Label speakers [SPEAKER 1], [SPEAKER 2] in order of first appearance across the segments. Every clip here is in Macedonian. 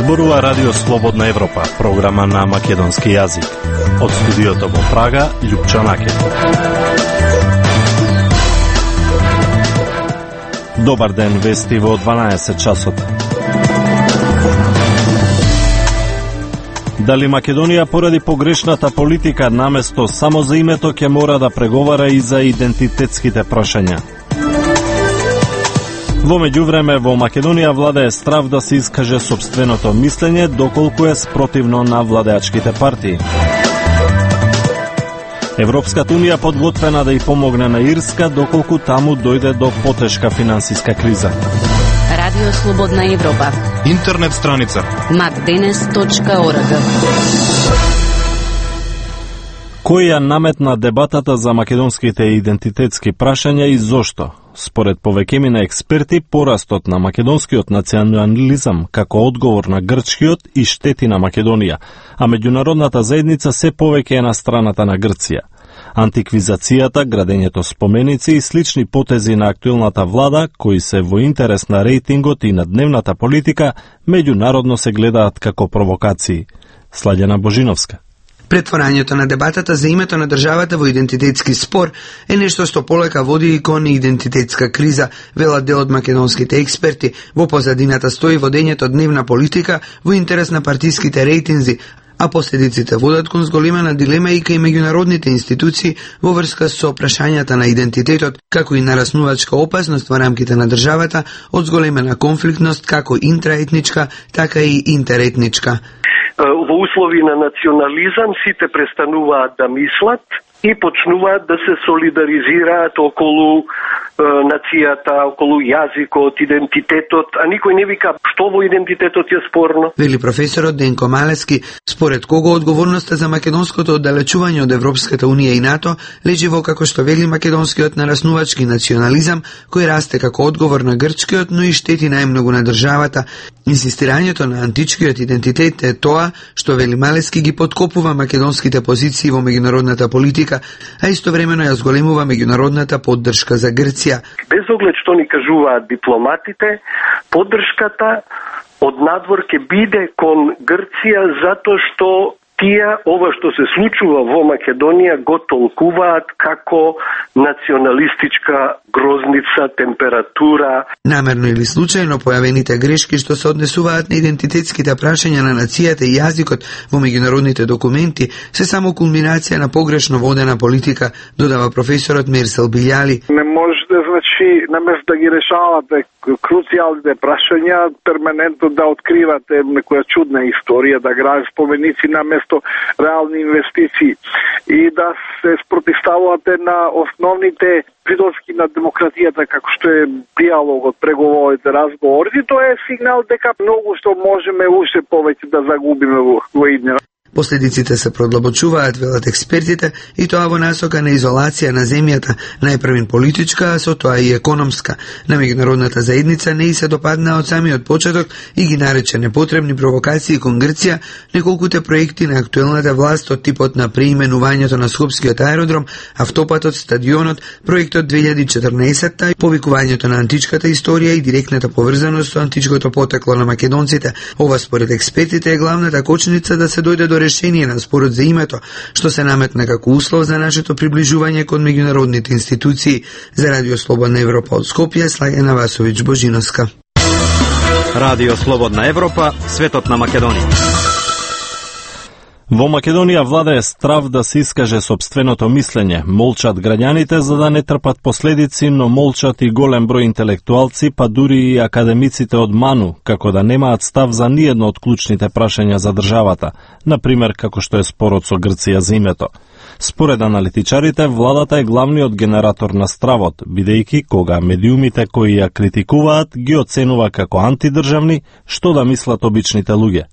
[SPEAKER 1] Зборува Радио Слободна Европа, програма на македонски јазик. Од студиото во Прага, Љупчо Накет. Добар ден, вести во 12 часот. Дали Македонија поради погрешната политика наместо само за името ќе мора да преговара и за идентитетските прашања? Во меѓувреме, во Македонија владее страв да се искаже сопственото мислење, доколку е спротивно на владеачките партии. Европската унија подготвена да ја помогне на Ирска, доколку таму дојде до потешка финансиска криза.
[SPEAKER 2] Радио Слободна Европа.
[SPEAKER 3] Интернет страница
[SPEAKER 2] macdenes.org.
[SPEAKER 1] Кој ја наметна дебатата за македонските идентитетски прашања и зошто? Според повеќемина експерти, порастот на македонскиот национализам како одговор на грчкиот и штети на Македонија, а меѓународната заедница се повеќе е на страната на Грција. Антиквизацијата, градењето споменици и слични потези на актуелната влада, кои се во интерес на рейтингот и на дневната политика, меѓународно се гледаат како провокации. Сладјана Божиновска.
[SPEAKER 4] Претворањето на дебатата за името на државата во идентитетски спор е нешто што полека води и кон идентитетска криза, велат дел од македонските експерти. Во позадината стои водењето дневна политика во интерес на партиските рейтинзи, а последиците водат кон зголемена дилема и кај меѓународните институции во врска со прашањата на идентитетот, како и нараснувачка опасност во рамките на државата од зголемена конфликтност како интраетничка, така и интеретничка.
[SPEAKER 5] Во услови на национализам сите престануваат да мислат и почнуваат да се солидаризираат околу нацијата, околу јазикот, идентитетот, а никој не вика што во идентитетот е спорно.
[SPEAKER 4] Вели професорот Денко Малески, според кого одговорноста за македонското оддалечување од Европската унија и НАТО лежи во, како што вели, македонскиот нараснувачки национализам, кој расте како одговор на грчкиот, но и штети најмногу на државата. Инсистирањето на античкиот идентитет е тоа што, вели Малески, ги подкопува македонските позиции во меѓународната политика, а истовремено ја зголемува меѓународната поддршка за Грција.
[SPEAKER 5] Без оглед што ни кажуваат дипломатите, поддршката од надвор ќе биде кон Грција затоа што тие ова што се случува во Македонија го толкуваат како националистичка грозница, температура.
[SPEAKER 4] Намерно или случајно појавените грешки што се однесуваат на идентитетските прашања на нацијата и јазикот во меѓународните документи се само кулминација на погрешно водена политика, додава професорот Мерсел Билјали.
[SPEAKER 6] Не можете, значи, наместо да ги решавате круцијалните прашања, перманентно да откривате некоја чудна историја, да градите споменици наместо реални инвестиции и да се спротивставувате на основните придоски на демократијата, како што е диалогот, преговорите, разговорите. Тоа е сигнал дека многу што можеме уште повеќе да загубиме во иднина.
[SPEAKER 4] Последиците се продлабочуваат, велат експертите, и тоа во насока на изолација на земјата, најпрвин политичка, а со тоа и економска. На меѓународната заедница не и се допадна од самиот почеток и ги нарече непотребни провокации кон Грција неколкуте проекти на актуелната власт од типот на преименувањето на Скопскиот аеродром, автопатот, стадионот, проектот 2014, повикувањето на античката историја и директната поврзаност со античкото потекло на македонците. Ова според експертите е главната кочница да се дојде до решение на спорот за името, што се наметна како услов за нашето приближување кон меѓународните институции. За Радио Слободна Европа од Скопје, Слагена Васовиќ Божиновска.
[SPEAKER 3] Радио Слободна Европа, светот на Македонија.
[SPEAKER 1] Во Македонија владее страв да се искаже сопственото мислење. Молчат граѓаните за да не трпат последици, но молчат и голем број интелектуалци, па дури и академиците од МАНУ, како да немаат став за ниедно од клучните прашања за државата, например како што е спорот со Грција за името. Според аналитичарите, владата е главниот генератор на стравот, бидејќи кога медиумите кои ја критикуваат ги оценува како антидржавни, што да мислат обичните луѓе.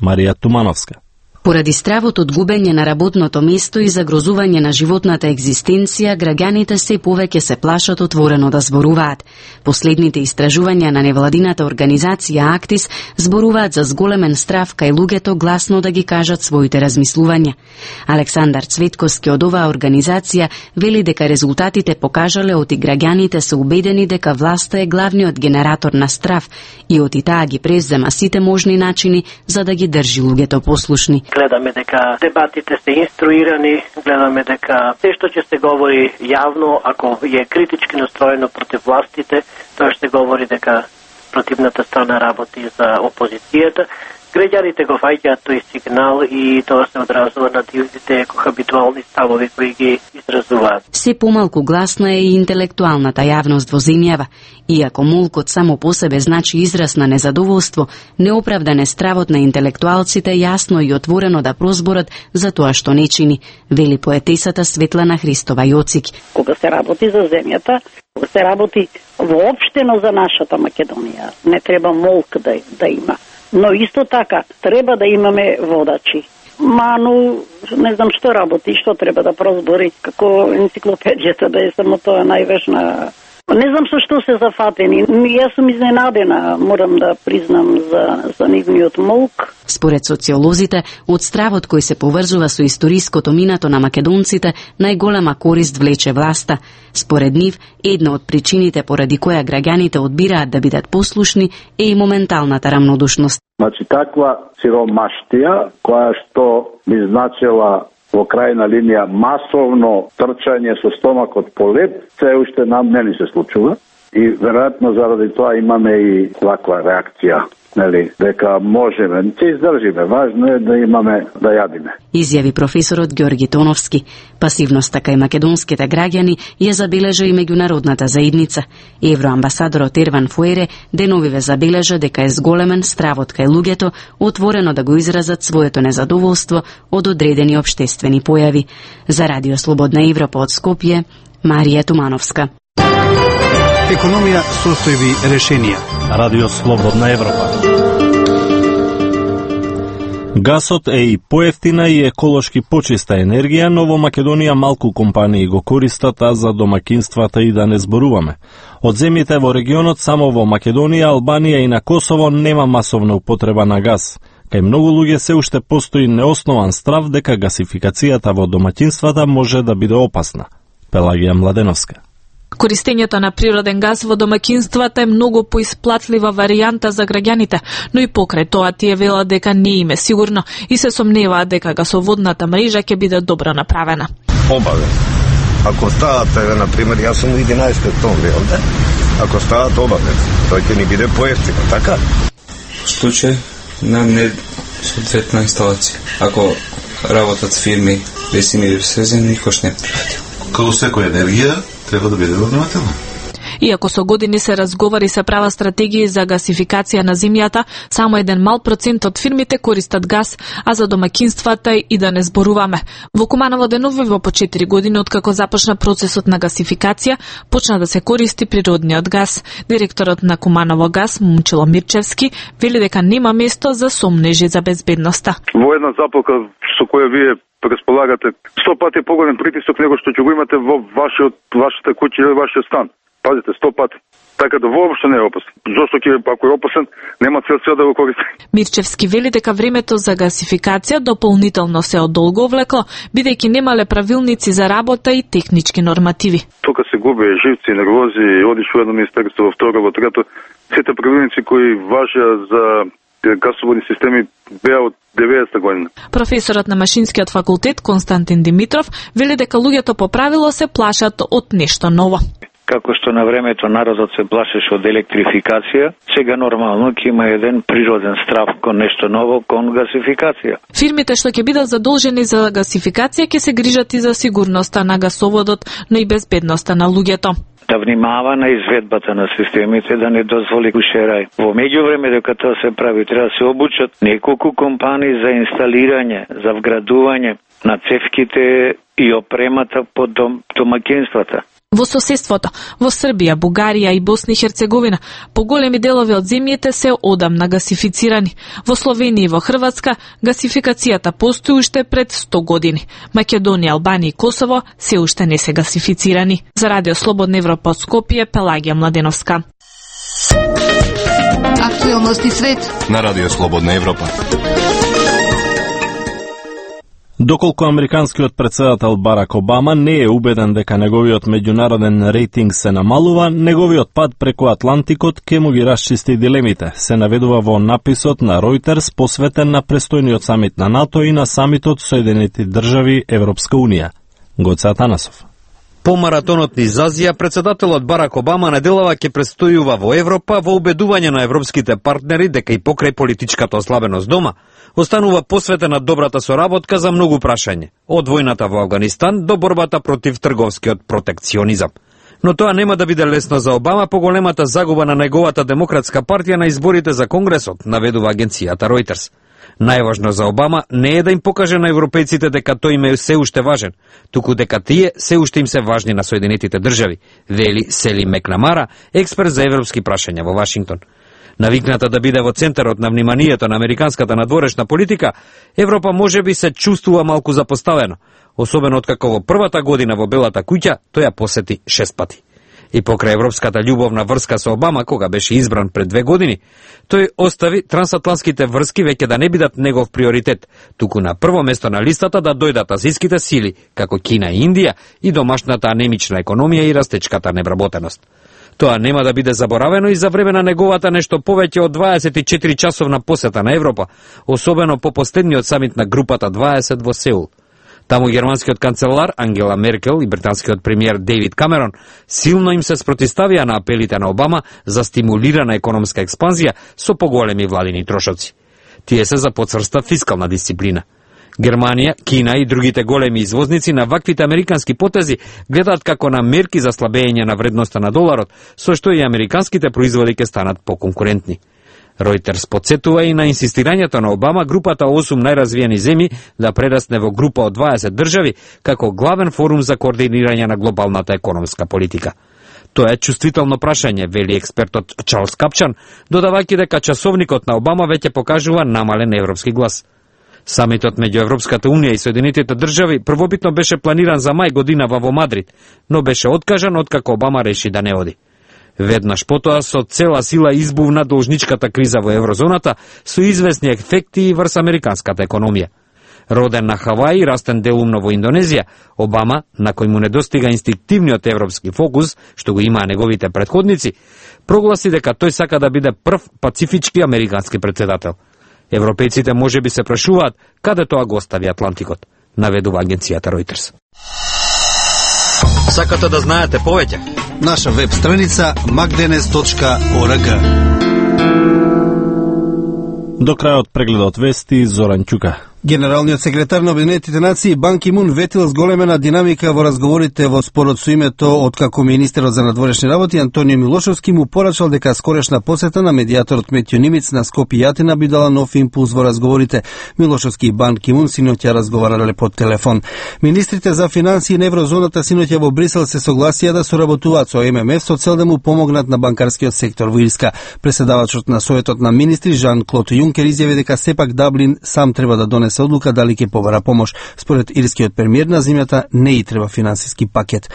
[SPEAKER 1] Марија Тумановска.
[SPEAKER 2] Поради стравот од губење на работното место и загрозување на животната екзистенција, граѓаните се повеќе се плашат отворено да зборуваат. Последните истражувања на невладината организација Актис зборуваат за зголемен страв кај луѓето гласно да ги кажат своите размислувања. Александар Цветковски од оваа организација вели дека резултатите покажале оти граѓаните се убедени дека власта е главниот генератор на страв и оти таа ги презема сите можни начини за да ги држи луѓето послушни.
[SPEAKER 7] Гледаме дека дебатите се инструирани, гледаме дека се што ќе се говори јавно, ако е критички настроено против властите, тоа ще говори дека противната страна работи за опозицијата. Граѓаните го фаќаат тој сигнал и тоа се одразува на дивните кохабитуални ставови кои ги изразуваат.
[SPEAKER 2] Се помалку гласна е и интелектуалната јавност во земјава. Иако молкот само по себе значи израз на незадоволство, неоправдан е стравот на интелектуалците јасно и отворено да прозборат за тоа што не чини, вели поетесата Светлана Христова Јоцик.
[SPEAKER 8] Кога се работи за земјата, кога се работи воопштено за нашата Македонија, не треба молк да има. Но исто така, треба да имаме водачи. Ману, не знам што работи, што треба да прозбори, како енциклопедијата да е само тоа најважна. Не знам со што се зафатени. Јас сум изненадена, морам да признам за нивниот молк.
[SPEAKER 2] Според социолозите, од стравот кој се поврзува со историското минато на македонците, најголема корист влече власта. Според нив, една од причините поради која граѓаните одбираат да бидат послушни е и моменталната рамнодушност.
[SPEAKER 9] Значи, таква сиромаштија, која што би значила во крајна линија масовно трчање со стомакот по лед, се уште нам не ни се случува и веројатно заради тоа имаме и ваква реакција, нели, дека можеме, ќе издржиме, важно е да имаме да јадиме.
[SPEAKER 2] Изјави професорот Ѓорги Тоновски. Пасивноста кај македонските граѓани ја забележа и меѓународната заедница. Евроамбасадорот Ерван Фуере деновиве забележа дека е зголемен стравот кај луѓето отворено да го изразат своето незадоволство од одредени општествени појави. За Радио Слободна Европа од Скопје, Марија Тумановска.
[SPEAKER 10] Економија, состојби, решенија.
[SPEAKER 1] Радио Слободна Европа. Гасот е и поевтина и еколошки почиста енергија, но во Македонија малку компании го користат, а за домакинствата и да не зборуваме. Од земјите во регионот само во Македонија, Албанија и на Косово нема масовна употреба на гас. Кај многу луѓе се уште постои неоснован страв дека гасификацијата во домаќинствата може да биде опасна. Пелагија Младеновска.
[SPEAKER 11] Користењето на природен газ во домаќинствата е многу поисплатлива варијанта за граѓаните, но и покрај тоа тие велат дека не им е сигурно и се сомневаат дека гасоводната мрежа ќе биде добро направена.
[SPEAKER 12] Обавен. Ако стават, на пример, јас сум 11 октомври, ако стават обавен, тој ќе ни биде поевтино, така?
[SPEAKER 13] В случај на несоодветна инсталација. Ако работат фирми без имири свезен, никош не прифатил.
[SPEAKER 14] Како секоја енергија, треба да биде внимателна.
[SPEAKER 11] Иако со години се разговари се права стратегија за гасификација на земјата, само еден мал процент од фирмите користат газ, а за домаќинствата и да не зборуваме. Во Куманово деновива по 4 години откако започна процесот на гасификација, почна да се користи природниот газ. Директорот на Куманово газ, Момчило Мирчевски, вели дека нема место за сомнежи за безбедноста.
[SPEAKER 6] Во една запалка со која вие располагате 100 пати поголем притисок него што ќе го имате во вашата куќа или вашиот стан. Пазите, 100 пати. Така да воопшто не е опасен. Зошто ако е опасен, нема цел да го користи.
[SPEAKER 11] Мирчевски вели дека времето за гасификација дополнително се одолго влекло, бидејќи немале правилници за работа и технички нормативи.
[SPEAKER 6] Тука се губи живци, нервози, одиш во едно министерство, во второ, во трето. Сите правилници кои важеа за гасоводни системи беа од 90-та година.
[SPEAKER 11] Професорот на Машинскиот факултет Константин Димитров вели дека луѓето по правило се плашат од нешто ново.
[SPEAKER 15] Како што на времето народот се плашеше од електрификација, сега нормално ќе има еден природен страв кон нешто ново, кон гасификација.
[SPEAKER 11] Фирмите што ќе бидат задолжени за гасификација ќе се грижат и за сигурноста на гасоводот, но и безбедноста на луѓето.
[SPEAKER 15] Да внимава на изведбата на системите, да не дозволи кушерај. Во меѓувреме дека тоа се прави, треба да се обучат неколку компании за инсталирање, за вградување на цевките и опремата по домаќинствата.
[SPEAKER 11] Во соседството, во Србија, Бугарија и Босна и Херцеговина, поголеми делови од земјите се одамна гасифицирани. Во Словенија и во Хрватска гасификацијата постои уште пред 100 години. Македонија, Албанија и Косово се уште не се гасифицирани. За Радио Слободна Европа од Скопје, Пелагија Младеновска.
[SPEAKER 16] Актуелности свет
[SPEAKER 3] на Радио Слободна Европа.
[SPEAKER 1] Доколку американскиот претседател Барак Обама не е убеден дека неговиот меѓународен рейтинг се намалува, неговиот пат преку Атлантикот ке му ги расчисти дилемите, се наведува во написот на Reuters посветен на престојниот самит на НАТО и на самитот Соединети држави Европска Унија. Гоце Атанасов.
[SPEAKER 17] По маратонот низ Азија, претседателот Барак Обама неделава ќе престојува во Европа во убедување на европските партнери дека и покрај политичката ослабеност дома, останува посветена добрата соработка за многу прашања, од војната во Авганистан до борбата против трговскиот протекционизам. Но тоа нема да биде лесно за Обама по големата загуба на неговата демократска партија на изборите за Конгресот, наведува агенцијата Reuters. Најважно за Обама не е да им покаже на европејците дека тој им е се уште важен, туку дека тие се уште им се важни на Соединетите држави, вели Сели Мекнамара, експерт за европски прашања во Вашингтон. Навикната да биде во центарот на вниманието на американската надворешна политика, Европа можеби се чувствува малку запоставено, особено откако во првата година во Белата куќа тој ја посети 6 пати. И покрај европската љубовна врска со Обама, кога беше избран пред 2 години, тој остави трансатлантските врски веќе да не бидат негов приоритет, туку на прво место на листата да дојдат азијските сили, како Кина и Индија, и домашната анемична економија и растечката невработеност. Тоа нема да биде заборавено и за време на неговата нешто повеќе од 24 часовна посета на Европа, особено по последниот самит на групата 20 во Сеул. Таму германскиот канцелар Ангела Меркел и британскиот премиер Дейвид Камерон силно им се спротиставија на апелите на Обама за стимулирана економска експанзија со поголеми владини трошоци. Тие се за потврста фискална дисциплина. Германија, Кина и другите големи извозници на ваквите американски потези гледаат како на мерки за слабење на вредноста на доларот, со што и американските производи ќе станат поконкурентни. Reuters подсетува и на инсистирањето на Обама групата 8 најразвиени земји да прерасне во група од 20 држави како главен форум за координирање на глобалната економска политика. Тоа е чувствително прашање, вели експертот Чарлс Капчан, додавајќи дека часовникот на Обама веќе покажува намален европски глас. Самитот меѓу Европската Унија и Соединетите држави првобитно беше планиран за мај годинава во Мадрид, но беше откажан откако Обама реши да не оди. Веднаш потоа со цела сила избувна должничката криза во еврозоната со известни ефекти и врз американската економија. Роден на Хаваи, растен делумно во Индонезија, Обама, на кој му недостига инстинктивниот европски фокус, што го имаа неговите претходници, прогласи дека тој сака да биде прв пацифички американски претседател. Европејците можеби се прашуваат каде тоа го остави Атлантикот, наведува агенцијата Reuters.
[SPEAKER 3] Сакате да знаете повеќе?
[SPEAKER 10] Наша веб страница magdenes.org.
[SPEAKER 1] До крајот прегледот вести Зоран Ќука.
[SPEAKER 10] Генералниот секретар на Обединетите нации Бан Ки Мун ветил зголемена динамика во разговорите во спорот со името откако министерот за надворешни работи Антонио Милошовски му порачал дека скорешна посета на медијаторот Метјо Нимиц на Скопје и Атина би дала нов импулс во разговорите. Милошовски и Бан Ки Мун синоќа разговарале по телефон. Министрите за финансии на еврозоната синоќа во Брисел се согласија да соработуваат со ММФ со цел да му помогнат на банкарскиот сектор во Ирска. Преседавачот на Советот на министри Жан Клод Јункер изјави дека сепак Даблин сам треба да донесе одлука дали ќе побара помош. Според ирскиот премиер на земјата не и треба финансиски пакет.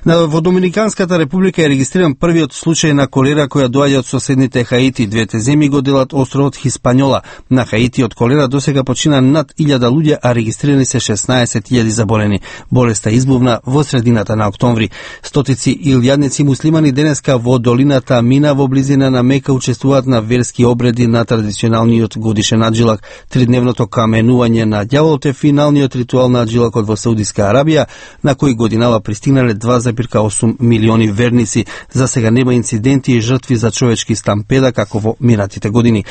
[SPEAKER 10] Во Доминиканската република е регистриран првиот случај на колера која доаѓа од соседните Хаити. Двете земји го делат островот Хиспањола. На Хаити од колера досега почина над 1000 луѓе, а регистрирани се 16.000 заболени. Болеста избувна во средината на октомври. Стотици илјадници муслимани денеска во долината Мина во близина на Мека учествуваат на верски обреди на традиционалниот годишен аджилак. Тридневното каменување на ѓаволот е финалниот ритуал на аджилакот во Саудиска Арабија, на кој годинава пристигнале 2,8 милиони верници. За сега нема инциденти и жртви за човечки стампеда како во минатите години.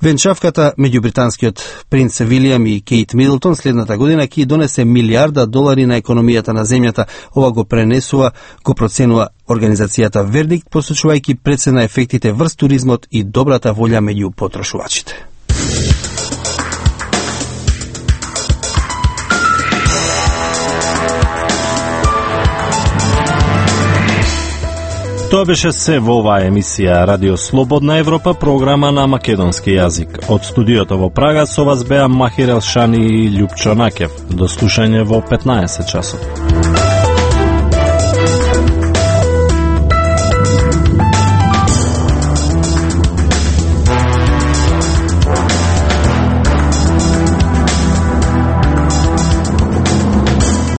[SPEAKER 10] Венчавката меѓу британскиот принц Вилијам и Кейт Мидлтон следната година ќе донесе $1 милиарди на економијата на земјата. Ова го проценува организацијата Вердикт, посочувајќи прецена ефектите врз туризмот и добрата волја меѓу потрошувачите.
[SPEAKER 1] Тоа беше се во оваа емисија Радио Слободна Европа, програма на македонски јазик. Од студиото во Прага со вас беа Махир Елшани и Љупчо Накев. До слушање во 15 часот.